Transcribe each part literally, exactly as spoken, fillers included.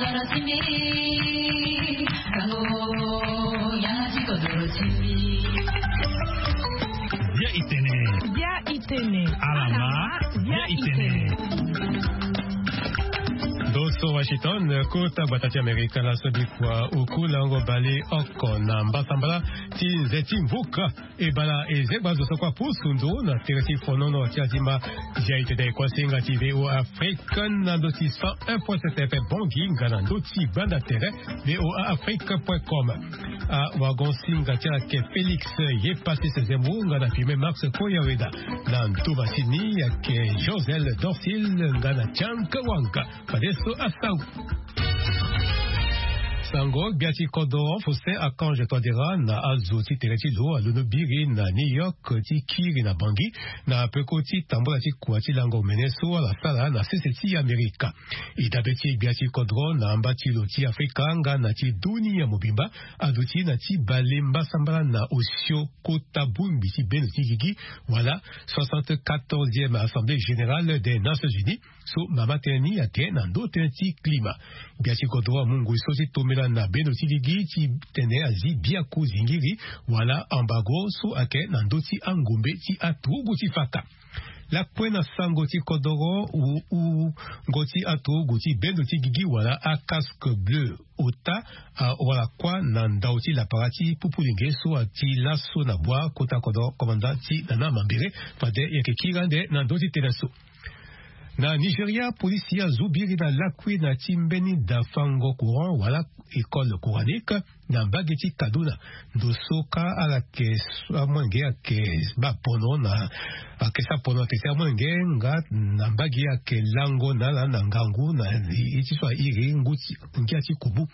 Bia itene. Bia itene. Alama. Bia itene. Ndo so Washington, kota gbata ti Amerika, laso bikua oku lango bale oko na mbasambala ti nze ti mvuka. Ebala ezegba zo so kua pusu ndo na tere ti fonono ti azimba. Zia itene kuasinga ti V O A Afrique na ndo ti cent un point sept F M Bangui nga na ndo ti banda tere V O A Afrique point com. Awagon singa ti ayeke Félix ye pasi sezemo nga na filme Max Koyaweda. Na ndo masini ayeke Josel Dorsil nga na Tianka Wanga. Fadeso asango. Sango gbia ti kodro Faustin Archange Touadéra na azo ti tere ti lo alondo biri na New York ti kiri na Bangui na peko ti tambola ti kua ti lango omene so ala sara na sese ti Amerika. E dabe ti gbia ti kodro na amba ti lo ti Afrika nga na ti dunia mobimba aduti na ti bale mbasambala na osio kota bongbi ti bendo ti gigi wala soixante-quatorzième Assemblée Générale des Nations Unies. So mama tënë ni ayeke na ndo tënë ti klima. Gbia ti kodro amu ngoi so ti tombela na bendo ti gigi ti tene azi biaku zingiri wala ambago so ayeke na ndö ti angombe ti aturugu ti faka. Lakue na sango ti kodoro, wungo ti aturugu ti bendo ti gigi wala acasque bleu ota awara kuâ na ndau ti lapara ti pupulenge so ati laso na bua kota kodoro komanda ti nana mambere. Fade yeke kiri ande na ndö ti tene so. Na Nigeria, polisi azu biri na lakui na ti mbeni dafango courant wala école coranique na mbage ti Kaduna. Ndo so ka ala yeke amolenge ayeke baa pono na ayeke sara pono ayeke si amolenge nga na mbage ayeke lango na ala na ngangu na ye ti so airi ngia ti kubu.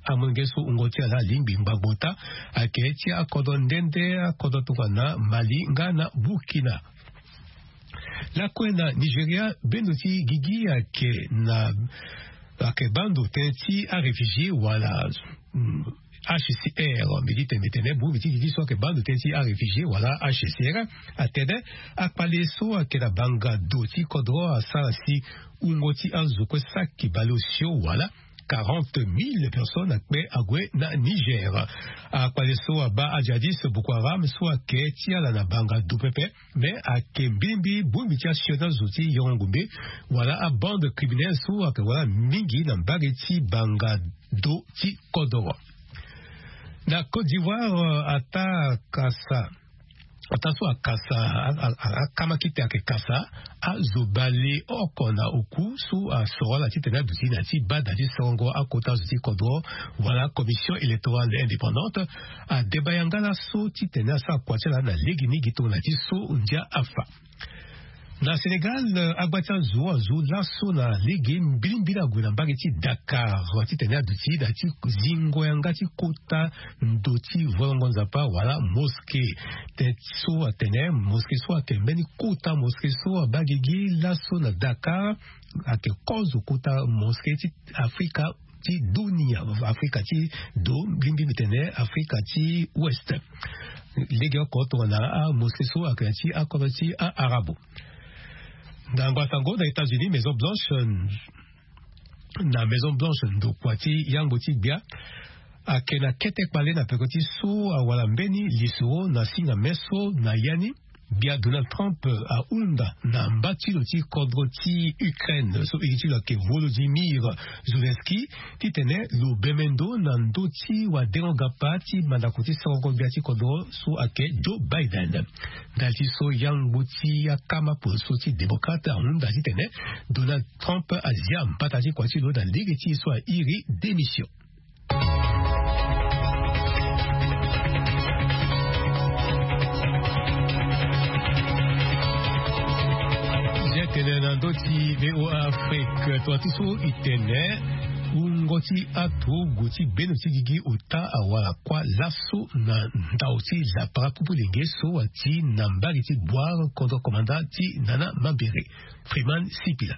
Amolenge so wungo ti ala alingbi ngbangbo ota ayeke ti akodro nde nde akodro tongana Mali nga na Burkina. Lakue na Nigeria bendo ti gigi ayeke na ayeke baa ndo tënë ti aréfugié wala H C R. Mbi di tene mbi tene bongbi ti gigi so ayeke baa ndo tënë ti aréfugié wala H C R atene akpale so ayeke na banga do ti kodro asara si wungo ti azo kue saki baleosio wala quarante mille personnes akpe ague na Niger. Akpale so abaa ajihadiste Boko Haram so ayeke ti ala na banga do pepe. Mais ayeke mbirimbiri bongbi ti asio ti azo ti yongo ngombe wala abande criminelle so ayeke wara mingi na mbage ti banga do ti kodoro. Na Côte d'Ivoire ata kasa ata so akasa akama kite ayeke kasa azo baleoko na oku so asoro ala titene aduti na ya ti bada ti sorongo akota azo ti kodro wala commission électorale indépendante adeba yanga laso titene asara kua ti ala na lege ni gi tongana ti so ndia afa. Na Sénégal, agba ti azo azo laso na lege mbilimbili ague na mbage ti Dakar titene aduti na ya ti zingo yanga ti kota ndo ti volongo nzapa wala mosquée. Tënë so atene mosquée so ayeke mbeni kota mosquée so abaa gigi laso na Dakar ayeke kozo kota mosquée ti Afrika ti dunia, Afrika ti do mbilimbili mbi tene Afrika ti Ouest. Legeoko tongana amosquée so ayeke na ya ti akodro ti aarabe. Na ngba sango na États-Unis, Maison Blanche, na Maison Blanche ndokua ti yangbo ti gbia ayeke na kete kpale na peko ti so awara mbeni lisoro na singa meso na ya ni. Gbia Donald Trump ahunda na mba ti lo ti kodro ti Ukraine so iri ti lo ayeke Volodymyr Zelensky titene lo bembe ndo na ndö ti wadengo gapa ti mandako ti sorongo gbia ti kodro so ayeke Joe Biden. Ndali ti so yangbo ti akama poroso ti démocrate ahunda titene Donald Trump azia mbata ti kua ti lo na lege ti e so airi démission. Zia tene na ndö ti VOA Afrique, tongana ti so e tene wungo ti aturugu ti bendo ti gigi ota awara kuâ laso na ndau ti lapara pupu lenge so ati na mbage ti Bouar contre commandant ti Nana Mambéré. Freeman Sipila.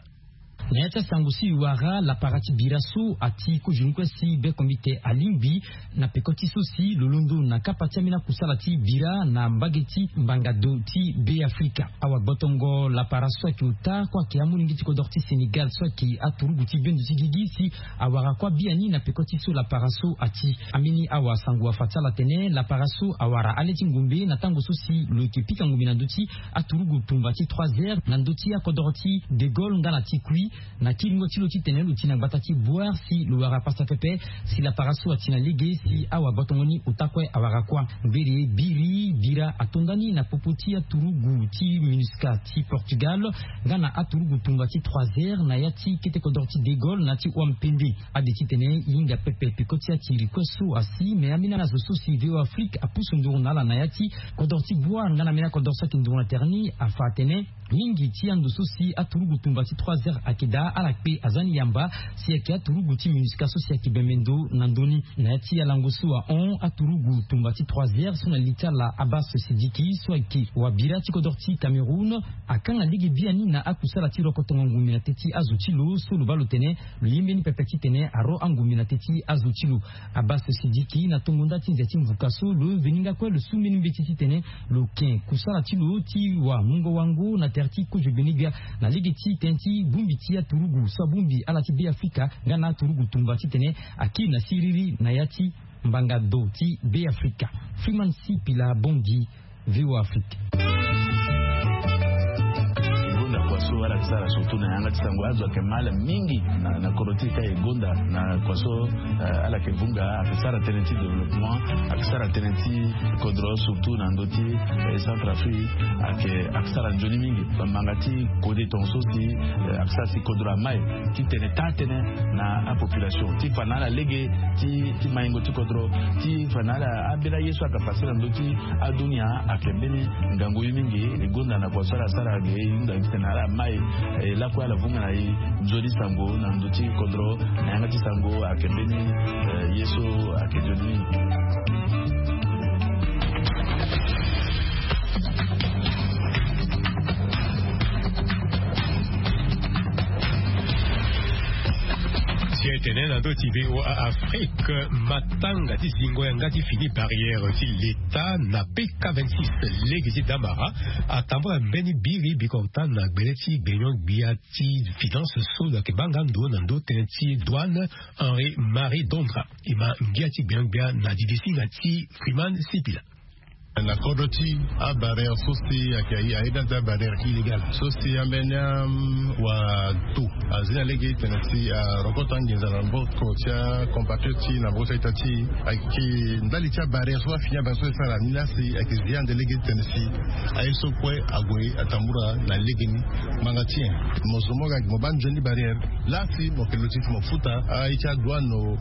Na ya ti asango si e wara lapara ti bira so ati kozoni kue si bekombite alingbi na peko ti so si lo londo na kapa ti ambeni akusala ti bira na mbage ti mbangado ti be afrika. Awagbotongo lapara so ayeke ota kue ayeke amolenge ti kodoro ti sénégal so ayeke aturugu ti bendo ti gigi si awara kue biani na peko ti so lapara so ati. Ambeni awasango afa ti ala atene lapara so awara ale ti ngombe na tango so si lo yeke pika ngombe na ndö ti aturugu tumba ti trois heures na ndö ti akodoro ti de gaulle nga na ti kui. Na kiringo ti lo titene lo ti na gbata ti boire si lo wara pasa pepe si lapara so ati na lege si awagbotongo ni ota kue awara kuâ. Mbere biri bira atonda ni na popo ti aturugu ti minusca ti portugal nga na aturugu tumba ti trois heures na ya ti kete kodoro ti de gaulle na ti oampende. Ade titene e hinga pepe peko ti atiri kue so asi me ambeni azo so si véo afrique apusu nduru na ala na ya ti kodoro ti boire nga na ambeni akodoro so ayeke nduru na tere ni afa atene mingi ti ando so si aturugu tumba ti trois heures ayeke daa ala kpe aza ni yamba si ayeke aturugu ti minusca so si ayeke bembe ndo na ndö ni. Na ya ti alango so ahon aturugu tumba ti trois heures so na li ti ala abas sidiki so ayeke wabira ti kodoro ti cameroun akanga lege biani na akusala ti rokotongo ngombe na te ti azo ti lo so lo baa lo tene lo ye mbeni pepe titene aro angombe na te ti azo ti lo. Abas sidiki na tongo nda ti nze ti mvuka so lo veni nga kue lo su mbeni mbeti titene lo ken kusala ti lo ti wa mungo wango na tere ti kozo gbene-gbia na lege ti tënë ti bongbi ti aturugu so abongbi ala ti be afrika nga na aturugu tumba titene akiri na siriri na ya ti mbanga do ti be afrika. Freeman sipila bongi. Véo afrique. Gonda kua so ala yeke sara surtout na yanga ti sango azo ayeke mal mingi na kodro ti e ka e gonda na kua so ala yeke vunga ayeke sara tënë ti développement ayeke sara tënë ti kodro surtout na ndö ti centre afrique. Ayeke ayeke sara nzoni mingi bambanga ti kode tonga so si ayeke sara si kodro amai titene taa tënë na apopulation ti fa na ala lege ti maingo ti kodro ti fa na ala ambeni aye so ayeke pase na ndö ti adunia. Ayeke mbeni ngangu ye mingi e gonda na kua so ala sara ge e hunda titene ala mai e lakue ala vunga na e nzoni sango na ndö ti kodro na yanga ti sango ayeke mbeni ye so ayeke nzoni mingi. Si etene na ndö ti voa afrique matanga ti zingo yanga ti fini barrière ti leta na pk vingt-six lege ti damara atambula mbeni biri bikota na gbele ti gbenyon-gbia ti finance so lo yeke baa nga ndo na ndö tënë ti douane. Henri marie dondra e ma ngia ti gbenyon-gbia na didisinga ti freeman sipila. Na kodro ti abarrière so si ayeke aye na ya ti abarrière illégal so si ambeni awato azi na lege ti tene si arokoto anginza na maboko ti acompatriote ti e na maboko ti a-ita ti e. Ayeke ndali ti abarrière so afini abarrière so e sara ni laa si ayeke zi ande lege ti tene si aye so kue ague atambula na legeni. Ngbanga ti nyen? Mo zo mo ga mo baa nzoni barrière laa si mo yeke luti ti mo futa aye ti adouane o,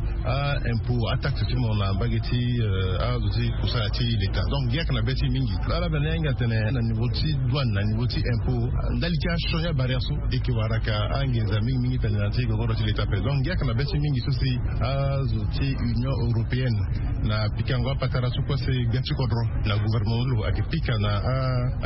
aimpôt, ataxe ti mo na mbage ti azo ti kusala ti leta. Donc ngia ayeke na be ti e mingi. Ala bene ahinga atene na niveau ti douane na niveau ti impôt ndali ti asioni abarrière so e yeke wara ayeke anginza mingi mingi tene na ti gogoro ti leta ape. Donc ngia ayeke na be ti e mingi so si azo ti union européenne na pikango apatara so kue si gbia ti kodro na gouvernement lo ayeke pika na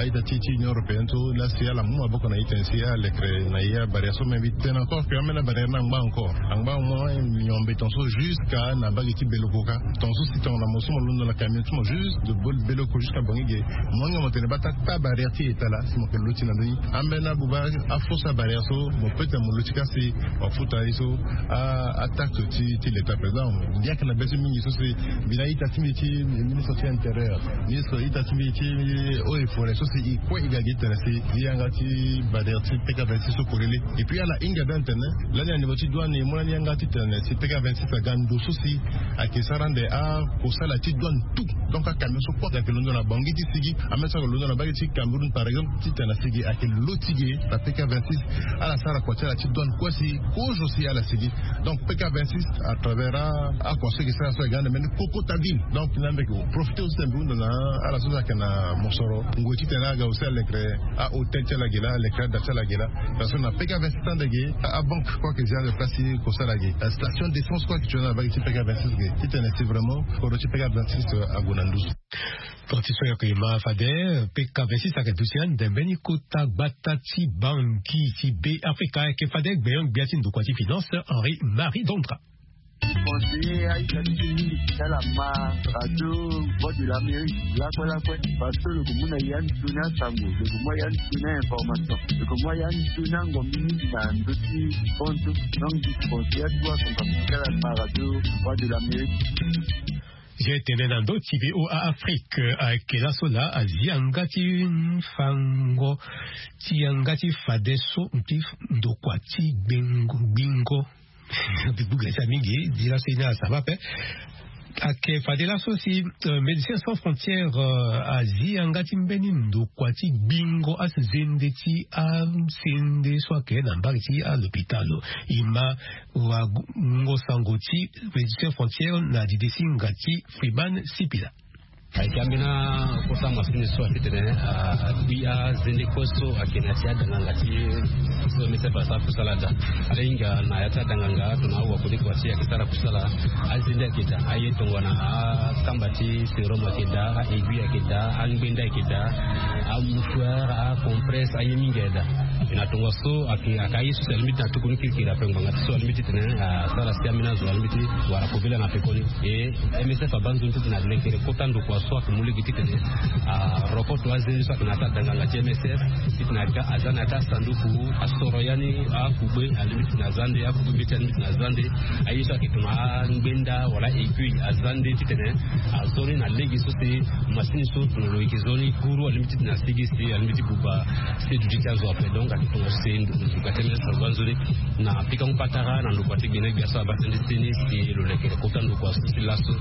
a-ita ti e ti union européenne so laa si ala mu maboko na e tene si alekere na e abarrière so. Mais mbi tene encore que ambeni abarrière ni angba encore angba au moins nyombe tongaso jusqu'à na mbage ti beloko ka. Tongaso si tongana mo so mo londo na camion ti mo juste de bol beloko jusqu'à bongi ge mo hinga mo tene baa taa barrière ti eta laa si mo yeke loti na ndö ni. Ambeni abuba afausse abarrière so mo peut tene mo loti ka si mo futa ye so ataxe ti leta président. Mbi yeke na be ti mingi so si mbi na ita ti mbi ti ministre ti intérieur, ministre ita ti mbi ti eaux et forêt so si e kue e ga gi tene si e yanga ti barrière ti pk vingt-six so polele. Et puis ala hinga bien tene lani na niveau ti douane e mu lani yanga ti tene si pk vingt-six aga ndo so si ayeke sara ande akosala ti douane tout. Donc acamion so kue ayeke londo na bangi ti sigi ambeni so ayeke londo na mbage ti cameroun par exemple ti tene na sigi ayeke loti ge na pk vingt-six. Ala sara kua ti ala ti douane kue si kozo si ala sigi. Donc pk vingt-six à travers akua so e ke sara so e ga ande mbeni kokota ville. Donc na mbi yeke profite aussi tene mbi hunda na ala so so ayeke na mosoro ngoi titene aga aussi alekere ahôtel ti ala ge laa alekere ada ti ala ge laa. Parce que na pk vingt-six ande ge abanque kue ayeke zi ande place ti kosara ge station d'essence kue ayeke tio na mbage ti pk vingt-six ge titene si vraiment kodro ti pk vingt-six ague na nduzu. Transition yeke ma fade. Peka vingt-six ayeke duti ande mbeni kota gbata ti banki ti be afrika ayeke fade gbenyon-gbia ti ndokua ti finance Henri Marie Dondra. Conseiller aita ti ti mingi ti ala ma radio Voix de l'Amérique lakue lakue, parce que lo ke mu na ya ni toni asango, lo ke mu ya ni toni a information, lo ke mu ya ni toni angombi mingi na ndö ti konto. Donc di conseiller atu asango ti ala ma radio Voix de l'Amérique. Zia etene na ndö ti VOA Afrique ayeke laso laa azia nga ti fango ti yanga ti fadeso ti ndokua ti gbingo gbingo. Buga ti mingi di laso ye ni asaba ape. Ayeke fade laso si Médecins sans frontières azi yanga ti mbeni ndokua ti gbingo azende ti asende so ayeke na mbage ti alopitalo. E ma wango sango ti Médecins sans frontières na dide ti ngangu ti Freeman Sipila. Ayeke ambeni akota masini so atitene agbi azende kue so ayeke na ya ti adanganga ti so MSF asara kusala daa. Ala hinga na ya ti adanganga tongana awakoli kua ti ayeke sara kusala. Azende ayeke daa, aye tongana akamba ti sérum ayeke daa, a-aiguille ayeke daa, angbenda ayeke daa, amouchoir, acompresse, aye mingi ayeke daa. Na tongaso ayeke aye so si alingbi ti na tukuni kirikiri ape ngbanga ti so alingbi titene asara si ambeni azo alingbi ti wara kobela na pekoni. E MSF abaa nzoni titene alekere kota ndokua so ayeke mu lege titene aroko to azende so ayeke na ya ti adanganga ti MSF titene aga aza na ya ti asanduku asoro ya ni akugbe alingbi titene aza nde, akugbe mbeti alingbi titene aza nde. Aye so ayeke tongana angbenda wala aiguille aza nde titene azo ni na lege so si masini so tongana lo yeke zo ni guru alingbi titene asigi si alingbi ti buba si duti ti azo ape. Donc ayeke tongana si nduka ti MSF abaa nzoni na pikango patara na ndokua ti gbene gbia so abaa tënë ti ni si lo lekere kota ndokua so ti laso.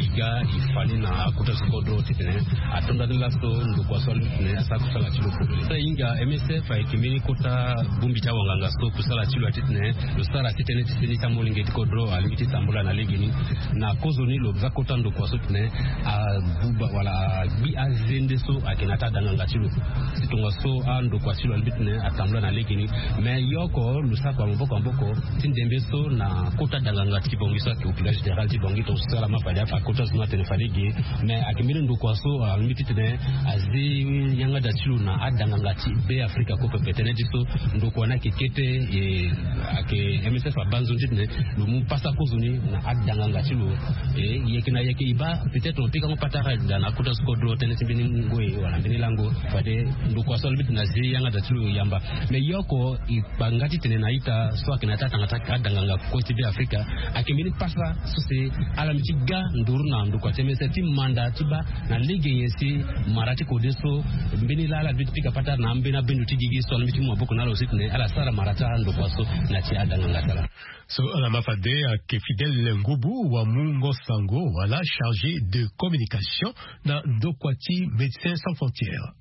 E ga e fa ni na akota ti kodro titene atonda ni laso ndokua so alingbi titene asara kusala ti lo kobela. So e hinga MSF ayeke mbeni kota bongbi ti awanganga so kusala ti lo atitene lo sara ti tënë ti seni ti amolenge ti kodro alingbi ti tambula na legeni. Na kozoni lo za kota ndokua so titene abuba wala agbi azende so ayeke na ya ti adanganga ti lo. Si tongaso andokua ti lo alingbi titene atambula na legeni. Mais yoko lo sara kua maboko maboko ti ndembe so na kota danganga ti Bangui so ayeke hôpital général ti Bangui, tongaso ala ma fade akota zo ni atene fade ge. Mais ayeke mbeni ndokua so alingbi titene azi yanga daa ti lo na adanganga ti Be Afrika kue pepe. Tënë ti so ndokua ni ayeke kete. E ayeke MSF abaa nzoni titene lo mu pasa kozoni na adanganga ti lo. E yeke na yeke e baa peut-être lo pikango patara daa na akota so kodro tënë ti mbeni ngoi wala mbeni lango. Fade ndokua so alingbi titene azi yanga daa ti lo yamba. Mais yoko e kpa nga titene na a-ita so ayeke na ya ti atanga ti adanganga kue ti Be Afrika ayeke mbeni pasa so si ala mbi ti ga nduru na ndokua ti MSF ti manda ti baa na lege nyen si mara ti kode so mbeni laa ala mbi ti pika patara na ambeni abendo ti gigi so ala mbi ti mu maboko na ala aussi titene ala sara mara ti andokua so na ya ti adanganga ti ala. So ala ma fade ayeke Fidèle Ngubu wamungo sango wala chargé de communication na ndokua ti Médecins sans frontières.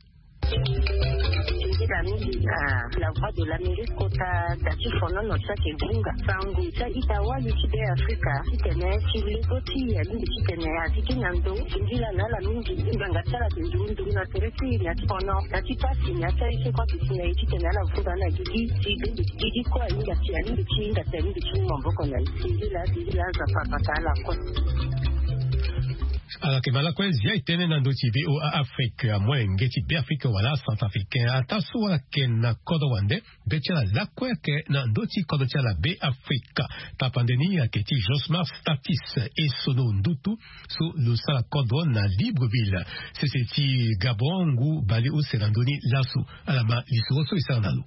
Nzila mingi na La Voix de l'Amérique kota da ti fonono ti ayeke bunga sango ti a-ita wali ti Be Afrika titene ti lego ti e alingbi titene azi gi na ndo. Nzila na ala mingi ngbanga ti ala ayeke nduru nduru na tere ti e na ya ti fono na ti pasi na ya ti aye so kue ayeke si na e titene ala vunga na gigi ti gigi kue ahinga si alingbi ti hinga si alingbi ti mu maboko na e. Nzila nzila aza papa ka ala kue. Ala yeke ma lakue zia e tënë na ndö ti VOA Afrique amolenge ti Be Afrique wala Centrafricain ataa so ala yeke na kodro wande. Be ti ala lakue ayeke na ndö ti kodro ti ala Be Afrique. Tapande ni ayeke ti Josmar Statis e sono ndutu so lo sara kodro na Libreville sese ti Gabon ngu baleuse na ndö ni laso. Ala ma lisoro so e sara na lo.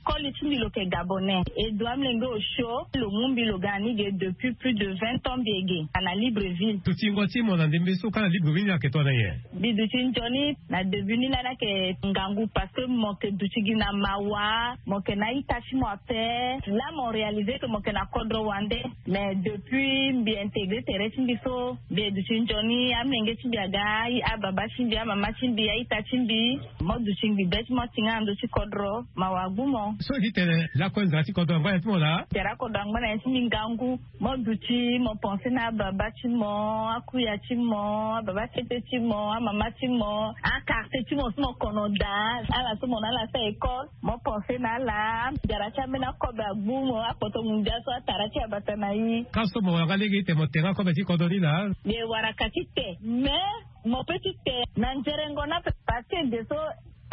Koli ti mbi lo yeke gabonais. E do amolenge osio lo mu mbi lo ga na ni ge depuis plus de vingt ans mbi yeke ge na Libreville. Dutingo ti mo na ndembe so kâ na Libreville ni ayeke tongana nyen? Mbi duti nzoni na début ni lani ayeke ngangu parce que mo yeke duti gi na mawa, mo yeke na a-ita ti mo ape. Là mo réalisé que mo yeke na kodro wande. Mais depuis mbi intégré tere ti mbi so mbi duti nzoni, amolenge ti mbi aga, ababa ti mbi, amama ti mbi, a-ita ti mbi. Mo duti ngbi be ti mo ti nga na ndö ti kodro, mawa gbu mo. So e ti tene lakue nzara ti kodro angba na ya ti mo laa. Nzara kodro angba na ya ti mbi ngangu. Mo duti mo pense na ababa ti mo, akuya ti mo, ababa tete ti mo, amama ti mo, akartier ti mo so mo kono daa. Ala so mo na ala sara école, mo pense na ala. Nzara ti ambeni akobe agbu mo, akpoto mundia so atara ti abata na i. Ka so mo wara nga lege ti tene mo tenga kobe ti kodro ni laa. Ye wara ka ti te mais mo pe ti te na nzerengo na pe parce que de so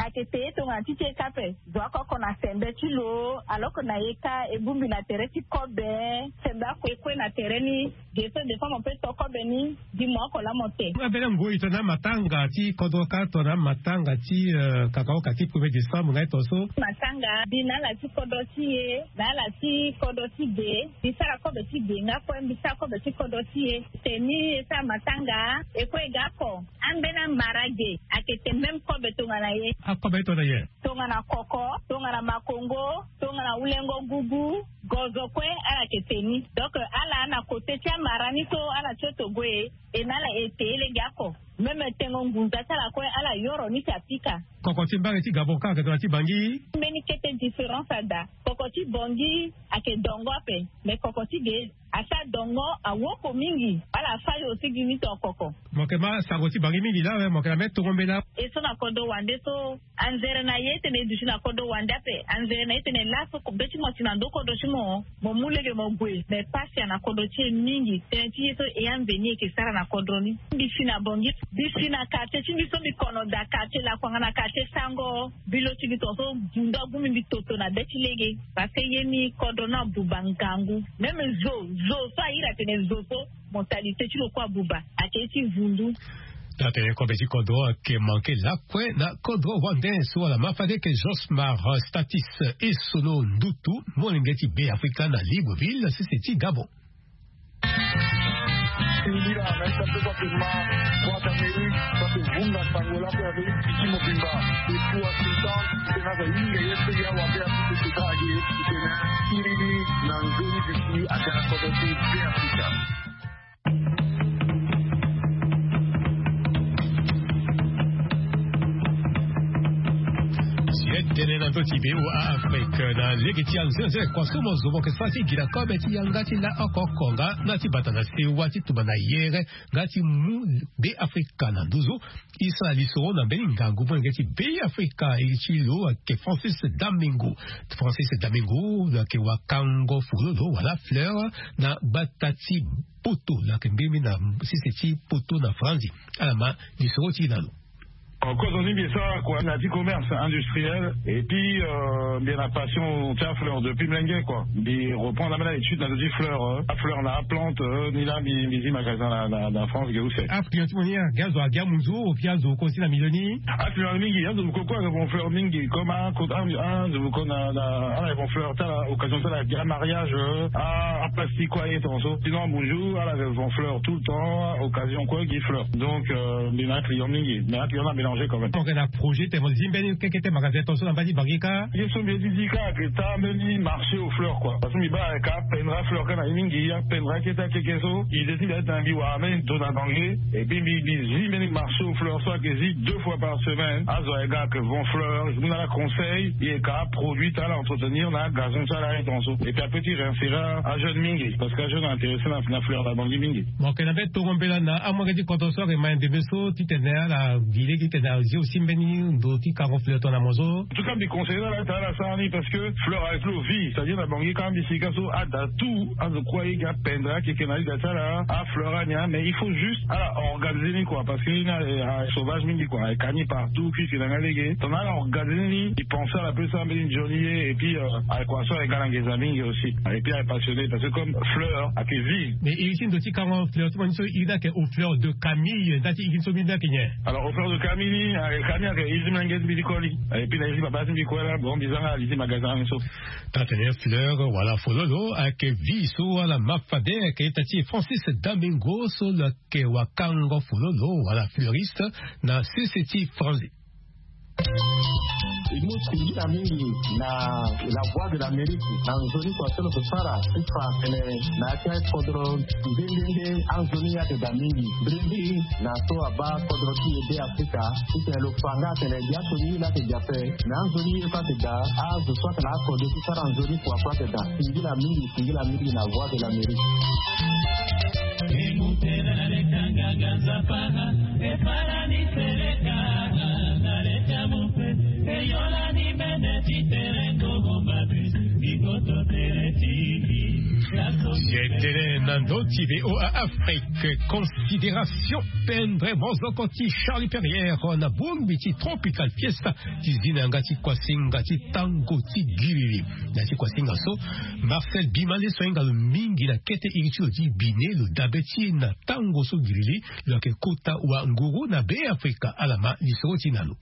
ayeke te ye tongana ti ti e ka ape. Zo akoko na sembe ti lo. Alors que na ye ka e bongbi na tere ti kobe. Sembe ako e kue na tere ni. Ge so de fois mo pe to kobe ni. Gi mo oko laa mo te. Ambeni ngoi tongana matanga ti kodro ka tongana matanga ti kakaoka ti premier décembre nga ye tonso. Matanga mbi na ala ti kodro ti e na ala ti kodro ti ge. Mbi sara kobe ti ge nga kue mbi sara kobe ti kodro ti e. Te ni e sara matanga e kue e ga oko. Ambeni amara ge ayeke te même kobe tongana ye. Akobe ye tongana ye. Tongana koko, tongana makongo, tongana wulengo gugu, gozo kue ala yeke te ni. Donc ala na kote ti amara ni so ala tio togo e. E na ala e te e lege ako. Même tengo ngunza ti ala kue ala yoro ni si apika. Koko ti mbage ti gabon ka ayeke tongana ti bangi. Mbeni kete différence ada. Koko ti bongi ayeke dongo ape. Mais koko ti ge asa dongo awoko mingi. Ala fâ yo aussi gi ni to koko. Mo yeke ma sango ti bangi mingi laa awe mo yeke na me tongo mbela. E so na kodro wande so anzere na ye ti tene e duti na kodro wande ape. Anzere na ye ti tene laso be ti mo ti na ndo kodro ti mo. Mo mu lege mo gue mais pasi ana kodro ti e mingi tënë ti ye so e ande ni e yeke sara na kodro ni. Mbi si na bongi mbi si na kartie ti mbi so mbi kono daa kartie lakuanga na kartie sango. Mbi lo ti mbi tonso. Vundu agu mbi mbi toto na be ti lege. Parce que ye ni kodro ni abuba ngangu. Même zo zo so ahiri atene zo so. Mentalité ti lo kue abuba ake ye ti vundu. Taa tene kobe ti kodro ayeke manke lakue na kodro wande so wala mafade yeke josmar statis. E solo ndutu molenge ti be afrika na libreville sese ti gabon. Singila na ita pe so ake ma boite amerike so ake vunga sango lako ya amerike ti mobimba. Depuis washington tena za hinga ye pe ya wabe afrika tena ake ye ti tena. Sirili na nzoni bisi ake na kodro ti be afrika. Si e tene na ndö ti be wa afrika na lege ti anzenze kua so mo zo mo yeke sara ti gi na kobe ti yanga ti la oko oko nga na ti bata na sewa ti tumba na yere nga ti mu be afrika na nduzu. E sara lisoro na mbeni ngangu molenge ti be afrika e ti lo ayeke francis damingo. Francis damingo lo yeke wakango fololo wala fleur na gbata ti poto lo yeke mbeni na sese ti poto na franzi. Ala ma lisoro ti e na lo. Kozo ni mbi e sara kua na ti commerce industriel. Et puis mbi na passion ti afleur depuis mlenge kua. Mbi reprendre ambeni na étude na zo ti fleur. Afleur na aplante. Ni laa mbi zi magasin na france ge use. Aclient ti mo ni age azo age amunzu ou puis azo kosi na milieu ni? Aclient mingi azo moko kue ake von fleur mingi comme azo moko na ala ake von fleur ti ala occasion ti ala age amariage. Aplastique kue aye tonso sinon amunzu ala ake von fleur tout le temps occasion kue gi fleur. Donc mbi na aclient mingi mais aclient na mélanger quand même. Projet tene mo zi mbeni kekete magasin tonso na mba ti bangi ka? Ye so mbi ye ti zi ka ake taa mbeni marché aux fleurs kua parce que mbi baa aka pendra fleur ka na ye mingi apendra kete akeke so. Ide ti mbi ati na mbi wara mbeni ndo na bangi. Et puis mbi zi mbeni marché aux fleurs so ake zi deux fois par semaine azo ake ga ake von fleur mu na ala conseil ye ka produit ti ala entretenir na agazon ti ala aye tonso. Et puis ape ti réinsérer ajeune mingi parce que ajeune intéressé na fleur na bangi mingi. Mo yeke na mbeni tongo mbela na amolenge ti kodro so ake ma ndembe so titene ala gi lege titene azi aussi mbeni ndo ti kango fleur tongana mo so. En tout cas mbi conseiller na ala ti ala sara ni parce que fleur avec lo vie c'est à dire na bangi ka mbi sika so ada tout azo kue aye gi apendre akeke na liga ti ala afleur ani mais il faut juste ala organiser ni kua parce que ni asauvage mingi kua aka ni partout puisque na nga lege tongana ala organiser ni mbi pense ala pe so ambeni nzoni ye et puis aye kua so aye ga na ngeza mingi aussi. Et puis aye passionné parce que comme fleur ake vie. Mais iri ti ndo ti kango fleur ti mo ni so iri ni ake au fleur de camille nda ti iri ni so mbi ni ake nyen? Alors au fleur de camille ni ake camille ake iri ti mlenge ti mbi ti koli. Et puis na iri ti papa ti mbi kue la bon mbi zanga ali ti magasin ni so. Taa tene fleur wala fololo ake vie so wala mafade ake ita ti francis damingo so lo ake wakango fololo wala fleuriste na sese ti franzi. E mu singila mingi na la voie de l'Amérique na nzoni kua so lo so sara ti fa tene na ya ti akodro nde nde nde anzoni ayeke daa mingi. Mbirimbiri na so abaa kodro ti e be Afrika ti tene lo fa nga atene gi aso ni ye laa ayeke daa ape. Me anzoni ye so ayeke daa azo so ayeke na akode ti sara nzoni kua so ayeke daa. Singila mingi, singila mingi na voie de l'Amérique. Tene na ndo ti VOA Afrique, considération pendre mozoko ti Charlie Perrière na bongbi ti Tropical Fiesta ti zi na yanga ti kuasinga ti tango ti giriri. Na ti kuasinga so, Marcel Bimale so ahinga lo mingi na kete iri ti lo ti bine lo dabe ti e na tango so giriri lo yeke kota wa nguru na be Afrika. Ala ma lisoro ti na lo.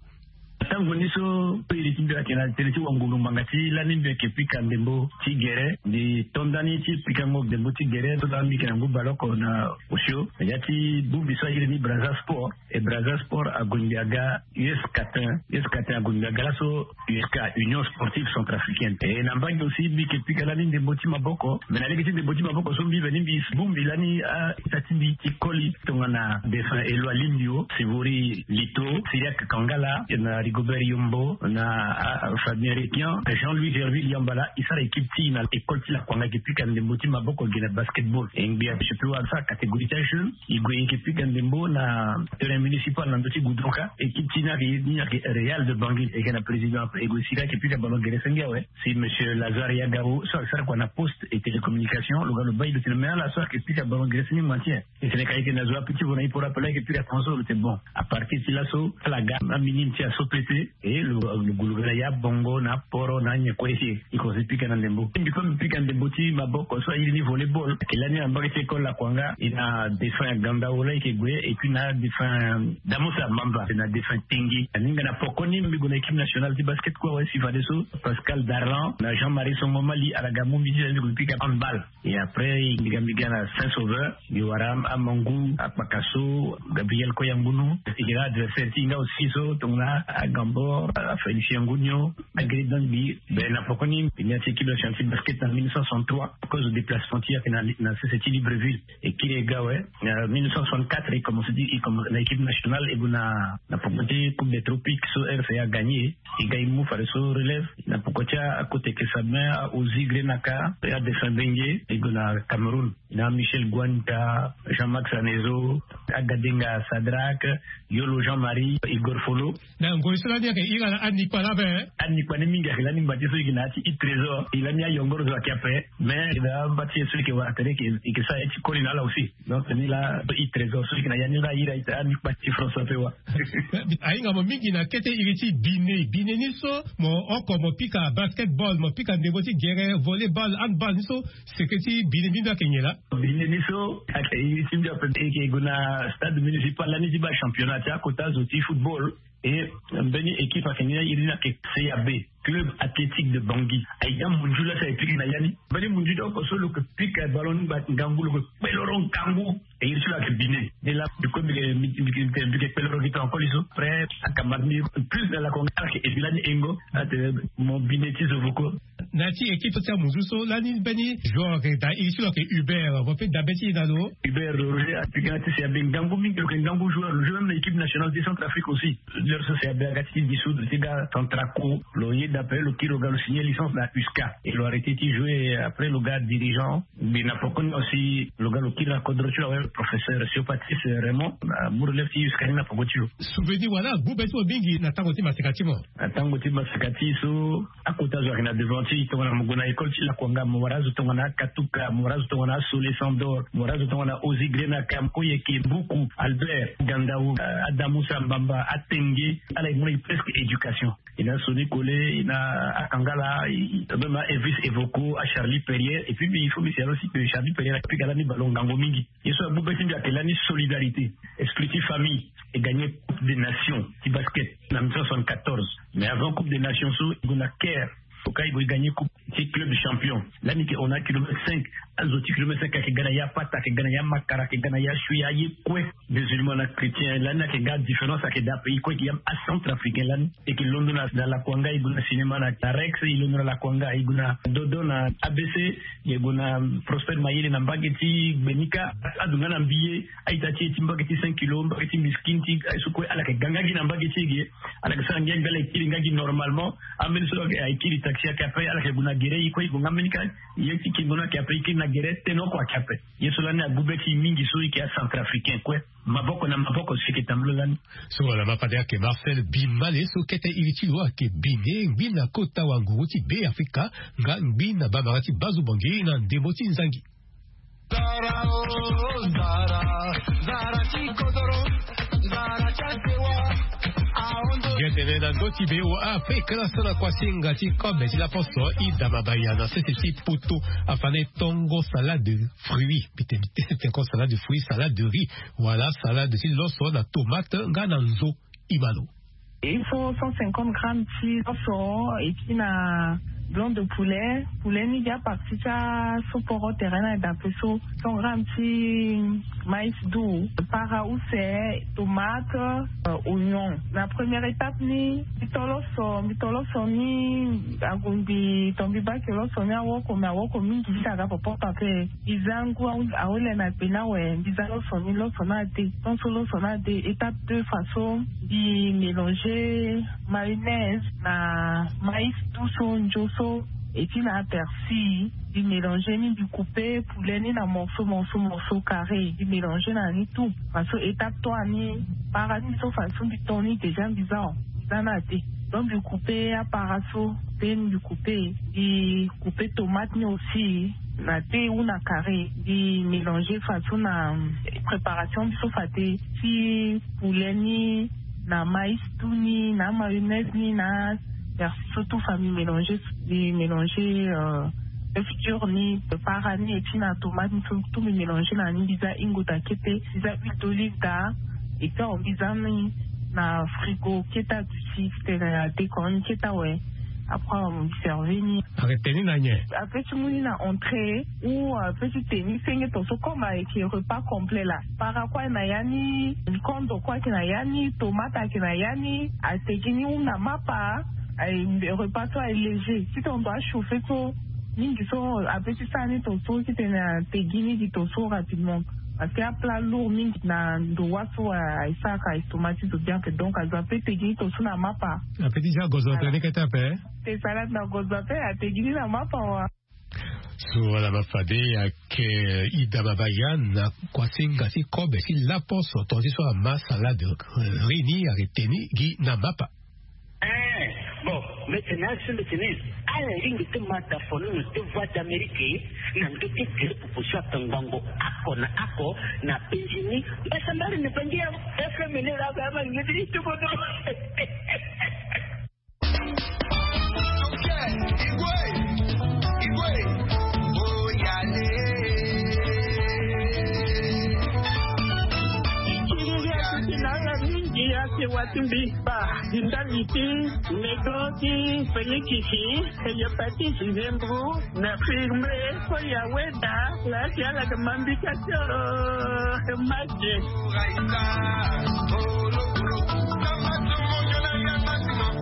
Tango ni so pe iri ti mbi ayeke na tene ti wangulu ngbanga ti lani mbi yeke pika ndembo ti gere. Mbi to ndani ti pikango ndembo ti gere so laa mbi yeke na ngu baleoko na osio na ya ti bongbi so airi ni Brazza Sport. E Brazza Sport ague mbi aga U S Catin. U S Catin ague mbi aga laso U S C A, Union Sportive Centrafricaine. E na mbage aussi mbi yeke pika lani ndembo ti maboko. Me na lege ti ndembo ti maboko so mbi veni mbi bongbi lani a ita ti mbi ti koli tongana défunt Eloi Limbio, Sivori Lito, Cyriaque Kangala, na Rigobert Yombo, na, ah, Fabien Requian, Jean-Louis Gerville Yambala, e sara équipe ti e na école ti Lakuanga, e yeke pika ndembo ti maboko ge na basketball. E ngbi ape, je peux wara so a catégorie ti ajeune, e gue e yeke pika ndembo na terrain municipal na ndö ti Goudron Ka. Équipe ti e ni ayeke, ni ayeke Real de Bangui, e yeke na président ape, e gue sika e yeke pika ballon gere senge awe. Si monsieur Lazare Yagao so ayeke sara kua na poste et télécommunication, lo ga lo baa e lo tene me ala so ayeke pika ballon gere senge maintien. E tene ka e yeke na zo ape ti vo na e poro ape laa e yeke pika console, lo tene bon. À partir ti laso ala ga aminime ti aso pete. E lo, lo gue lo ga na ya bongo na aporo na anyen kue si e komanse pika na ndembo. Mbi kue mbi pika ndembo ti maboko so airi ni volleyball. Ayeke lani na mbage ti école Lakuanga, e na défunt Gandao laa e yeke gue, et puis na défunt Damosa Mamba, na défunt Tengi. Aninga na pokoni mbi gue na équipe nationale ti basket kue awe si fadeso Pascal Darlan na Jean-Marie Songo Mali ala ga mu mbi ti ala mbi gue pika handball. Et après mbi ga mbi ga na Saint Sauveur, mbi wara Amangu, Akpakaso, Gabriel Koyangunu. E yeke na adversaire ti e nga aussi so tongana Agambor, Félicien Ngunio, Agri Dangbi. Ben na pokoni mbi na ti équipe nationale ti basket na mille neuf cent soixante-trois à cause de déplacement ti e ayeke na, na sese ti Libreville. E kiri e ga awe. Na mille neuf cent soixante-quatre e commence ti, e commence na équipe nationale, e gue na, na poko ti Coupe des Tropiques so R C A a gagné. E ga e mu fadeso relève na poko ti akota eke Sabin, a Ozi Grenaka, a défunt Bengue, e gue na Cameroun. Na Michel Guanta, Jean-Max Anezo, Agadenga Sadrac, Yolo Jean-Marie, Igor Folo. Na ngoi so lani ayeke iri ala anikpa laa ape. Anikpa ni mingi ayeke lani ngba ti e so e yeke na ya ti Huit Trésors. E lani ayongoro zo ayeke ape. Mais e na amba ti e so e yeke wara tere e yeke sara ye ti koli na ala aussi. Donc ni laa Huit Trésors so e yeke na ya ni laa a iri anikpa ti France ape wa. Ahinga mo mingi na kete iri ti bine. Bine ni so mo oko mo pika basketball, mo pika ndembo ti gere, volleyball, handball, ni so secret ti bine ni mbi ayeke nyen laa? Bine ni so ayeke iri ti mbi ape, e yeke gue na stade municipal lani ti baa championnat ti akota zo ti football. E mbeni équipe ayeke ni, iri ni ayeke C A B, Club Athlétique de Bangui. Aye ti amunzu laa si ayeke pika na ya ni. Mbeni munzu ti oko so lo yeke pika ballon ni ngangu, lo yeke kpeloro ngangu. E iri ti lo ayeke bine. Ni laa mbi kue mbi yeke, mbi yeke, mbi yeke kpeloro gi to encore li so. Après akamba ti mbi plus na Lakuanga ayeke e bi lani engo. Atene mo bine ti zo voko. Na ya ti équipe so ti amunzu so lani mbeni joueur ayeke daa, iri ti lo ayeke Hubert, vo pe dabe ti e na lo? Hubert Roger apika na ti C A B ngangu mingi, lo yeke ngangu joueur, lo joue même na équipe nationale ti Centrafrique aussi. Joueur so C A B aga ti dissoudre ti ga Centraco, lo yeda ape, lo kiri lo ga lo signer licence na U S C A. Et lo arrêter ti jouer, après lo ga dirigeant. Mbi na poko ni aussi lo ga lo kiri na kodro ti lo awe, professeur Siopatis Raymond, amu relève ti U S C A ni na poko ti lo. Souvenir wala agbu be ti mo mingi na tango ti maseka ti mo? Na tango ti maseka ti e so, akota zo ayeke na devant ti e, tongana mo gue na école ti Lakuanga mo wara azo tongana Akatuka, mo wara azo tongana Asole Sandor, mo wara azo tongana Ozi Grenaka, Koyeke, Mbuku, Albert, Gandao, Adamu Sambamba, Atenge, ala e mu na e presque éducation. E na Sony Kole, e na Akangala, e, e, même a Elvis Evoko, a Charlie Perrier, et puis il faut mbi signale aussi que Charlie Perrier apika lani ballon ngangu mingi. Ye so agbu be ti mbi ayeke lani solidarité, esprit ti famille. E gagner Coupe des Nations ti basket na mille neuf cent soixante-quatorze. Mais avant Coupe des Nations so, e gue na Caire. Oka e gue e gagner coupe. ti club champion. Lani ke on a kilomètre cinq, azo ti kilomètre cinq ayeke ga na ya pata, ayeke ga na ya makara, ayeke ga na ya sui, aye kue. Musulman na chrétien lani ayeke ga différence, ayeke daa pays kue, ayeke ya acentrafricain lani. E yeke londo na lakuanga, e gue na cinéma na rex, e londo na lakuanga, e gue na dodo na abc, e gue na prospère mayele na mbage ti gbenika. Azo nga na mbi ye, a-ita ti e ti mbage ti cinq kilo, mbage ti mbiskine ti aye so kue ala yeke ga nga gi na mbage ti e ge. Ala yeke sara ngia mbi ala yeke kiri nga gi normalement. Ambeni so ayeke kiri taxi ayeke ape, ala yeke gue na gere, e kue e gue nga mbeni kâ. Ye ti kingo ni ayeke ape, e kiri na gere tene oko ayeke ape. Ye so lani agu be ti e mingi so e yeke acentrafricain kue. Maboko na maboko si e yeke tambula lani. So wala ma fade ayeke Marcel Bimale so kete iri ti lo ayeke bine ngbi na kota wanguru ti Beafrika nga ngbi na bamara ti Bazu Bangui na ndembo ti nzangi. Zara o zara, zara ti kodoro, zara ti asewa. Gentene na ndö ti be o Afrika na so na kuasinga ti kobe ti laposo Ida Mabaya na sese ti poto afane tongo salade de fruits, mbi tene ti sese ti tongo salade de fruits, salade de riz, wala salade ti loso na tomate nga na nzo. Imano. Il faut cent cinquante grammes ti loso, et puis na blanc de poulet, poulet ni dia partie ti aso poro terrain na dape so, cent grammes ti maïs doux, para use, tomate, euh, oignon. Na première étape ni, mbi to loso, mbi to loso ni, agumbi to mbi bake loso ni awoko, mais awoko mingi ti aga popo pape. Mbi za ngu awe, awe le na gbe ni awe, mbi za loso ni, loso ni ade. Ton so loso ni ade, étape deux façon, mbi mélanger mayonnaise na maïs doux so, nzo so, et puis na persil. Mbi mélanger ni, mbi couper poulet ni na morceau, morceau, morceau carré. Mbi mélanger na ni tout. Façon étape trois ni, para ni so façon mbi ton ni déjà mbi za o. Mbi za ni ade. Donc mbi couper apara so, pe mbi couper, mbi couper tomate ni aussi na te ou na carré, mbi mélanger façon na préparation biso fade ti poulet ni na maïs doux ni na mayonnaise ni na persil so tout fa mbi mélanger, mbi mélanger, euh, œuf dur ni, para ni, et puis na tomate ni so tout mbi mélanger na ni, mbi za ingo daa kete, mbi za huile d'olive daa, et puis awe mbi za ni na frigo keta duti titene ade ko ni keta awe. Après awe mbi servi ni. Arrêté ni na nyen? Ape ti mu ni na entrée ou ape ti te ni senge ton so comme ayeke repas complet la. Para kue ayeke na ya ni, kondo kue ayeke na ya ni, tomate ayeke na ya ni, ate gi ni ou na mapa. Aye, repas so aye léger. Si ton doit chauffer so mingi so, ape ti sara ni ton so titene ate gi ni gi ton so rapidement. Parce que aplat lourd mingi na ndo wa so aye sara ka estomac ti zo bien ape. Donc azo ape te gi ni ton so na mapa. Ape ti za gozo ape ni kete ape. Te salade na gozo ape, ate gi ni na mapa wa. So wala ma fade ayeke, eh, Ida Mabaya na kuasinga ti kobe ti laposo, ton ti so ama salade, eh, riz ni ayeke te ni gi na mapa. Eh, bon, mbi tene asi mbi tene, ala ringi ti ma da fono na ti Voix d'Amérique na ndö ti gere popo so ayeke ngbongo oko na oko na penzi ni. Mbasambala ni bangi ya F M ni la ba ma ngi ti tubono. Mingi ya se wa ti mbi ba, di ndali ti medo ti pelikisi, hepatite, nzembro, na firme, ko ya weda, la ti ala ga mambika tio, maki.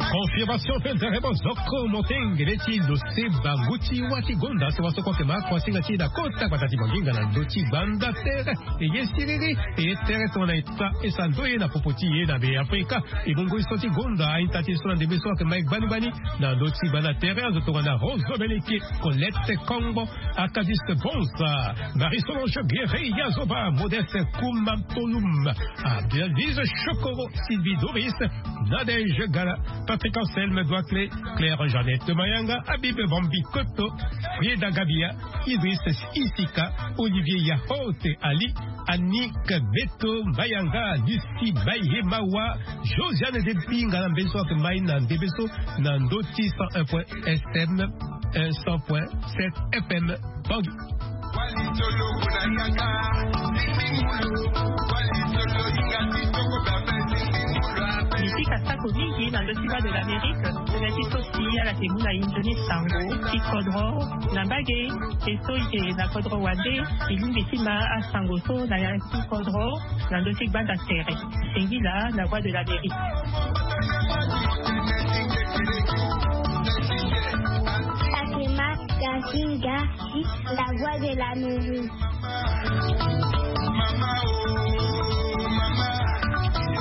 Confirmation mpe nzere bozoko motengele ti lo se bangu ti wa ti gonda so wa so koke ma kuasinga ti e na kota gbata ti banginga na ndö ti gbanda tere. E ye siriri, e ye tere tongana e ta e sa ndo ye na popo ti e na Beafrika. E bongo e so ti gonda a-ita ti e so na ndembe so ayeke mai gbani gbani na ndö ti gbanda tere, azo tongana Roso Beleke, Colette Kongbo, Akadiste Bonsa, Marie Solange Guerre, Yazoba, Modeste Kouma Tolum, Abdelaziz Chokoro, Sylvie Doris, Nadège Gala, Patrick Anselme Douaclé, Claire Jeannette Mayanga, Habib Bambi Koto, Frieda Gabia, Idriss Isika, Olivier Yahote Ali, Annick Beto Mayanga, Lucie Bayemawa, Josiane Debinga na mbeso ake mai na ndebeso na ndö ti cent un point S M, un cent point sept F M. Bangui. Misika sako mingi na ndö ti Voix de l'Amérique. Na ti so si ala yeke mu na e ndoni sango ti kodro na mbage. E so e yeke na kodro wande, e lingbi ti ma asango so na ya ti kodro na ndö ti gbanda tere. Singila na Voix de l'Amérique. Fatima Kazinga, la Voix de l'Amérique.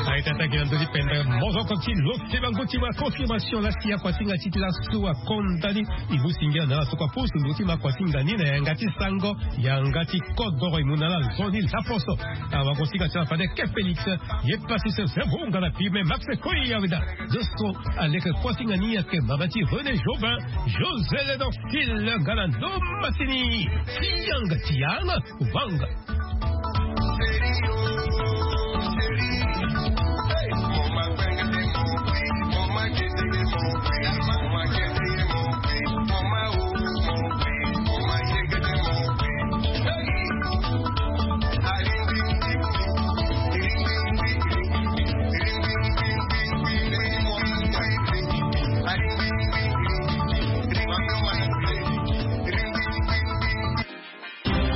Aye ti attaqué na ndö ti pendere mozoko ti lo ti bango ti ma confirmation. La si akuasinga ti ti laso akonda ni. E mu singila na ala so kua pusu ndö ti ma akuasinga ni na yanga ti sango, yanga ti kodoro. E mu na ala nzoni laposo. Awakosinga ti ala fade ke Félix, ye pasi se se bonga na pime Max Koyaweda. Zo so aleke kuasinga ni ayeke mama ti René Jobin, José Ledorcil nga na ndo masini. Ti yanga ti yanga vanga.